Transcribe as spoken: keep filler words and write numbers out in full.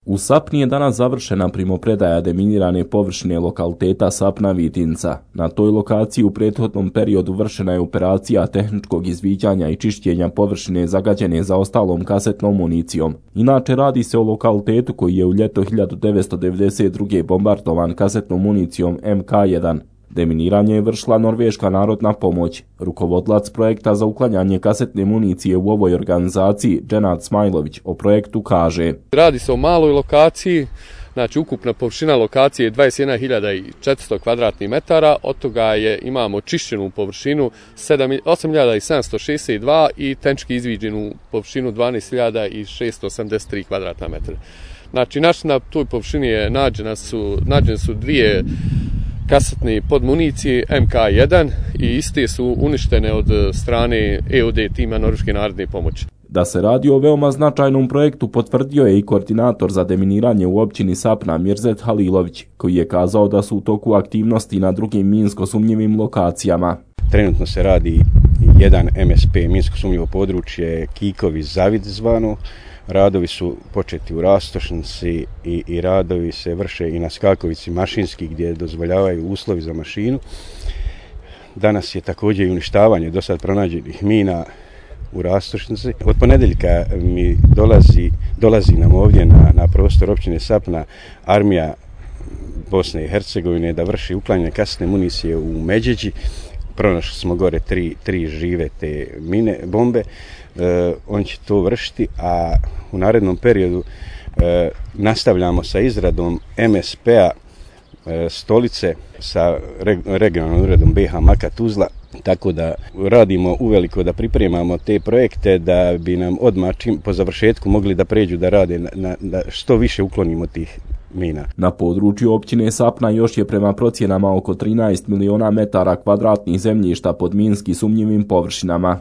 U Sapni je danas završena primopredaja deminirane površine lokaliteta Sapna Vitinca. Na toj lokaciji u prethodnom periodu vršena je operacija tehničkog izviđanja i čišćenja površine zagađene zaostalom kasetnom municijom. Inače radi se o lokalitetu koji je u ljeto hiljadu devetsto devedeset druge bombardovan kasetnom municijom M K jedan. Deminiranje je vršila Norveška narodna pomoć. Rukovodilac projekta za uklanjanje kasetne municije u ovoj organizaciji, Dženad Smajlović, o projektu kaže: Radi se o maloj lokaciji, znači ukupna površina lokacije je dvadeset jedna hiljada četiristo kvadratnih metara, od toga je, imamo čišćenu površinu osam hiljada sedamsto šezdeset dva i tehnički izviđenu površinu dvanaest hiljada šeststo osamdeset tri kvadratna metra. Znači, naš, na toj površini je nađena su, nađene su dvije kasetne podmunicije M K jedan i iste su uništene od strane E O D tima Norveške narodne pomoći. Da se radi o veoma značajnom projektu potvrdio je i koordinator za deminiranje u općini Sapna Mirzet Halilović, koji je kazao da su u toku aktivnosti na drugim minsko sumnjivim lokacijama. Trenutno se radi jedan M S P, minsko sumnjivo područje Kikovi Zavid zvano. Radovi su početi u Rastošnici i, i radovi se vrše i na Skakovici Mašinski gdje dozvoljavaju uslovi za mašinu. Danas je također i uništavanje do sad pronađenih mina u Rastošnici. Od ponedeljka mi dolazi, dolazi nam ovdje na, na prostor općine Sapna armija Bosne i Hercegovine da vrši uklanjanje kasetne municije u Međeđi. Pronašli smo gore tri, tri žive te mine, bombe. E, on će to vršiti, a u narednom periodu e, nastavljamo sa izradom M S P-a e, stolice sa reg, regionalnom uredom B H Maka Tuzla, tako da radimo uveliko da pripremamo te projekte da bi nam odmah čim po završetku mogli da pređu da rade na, na, da što više uklonimo tih mina. Na području općine Sapna još je prema procjenama oko trinaest miliona metara kvadratnih zemljišta pod minski sumnjivim površinama.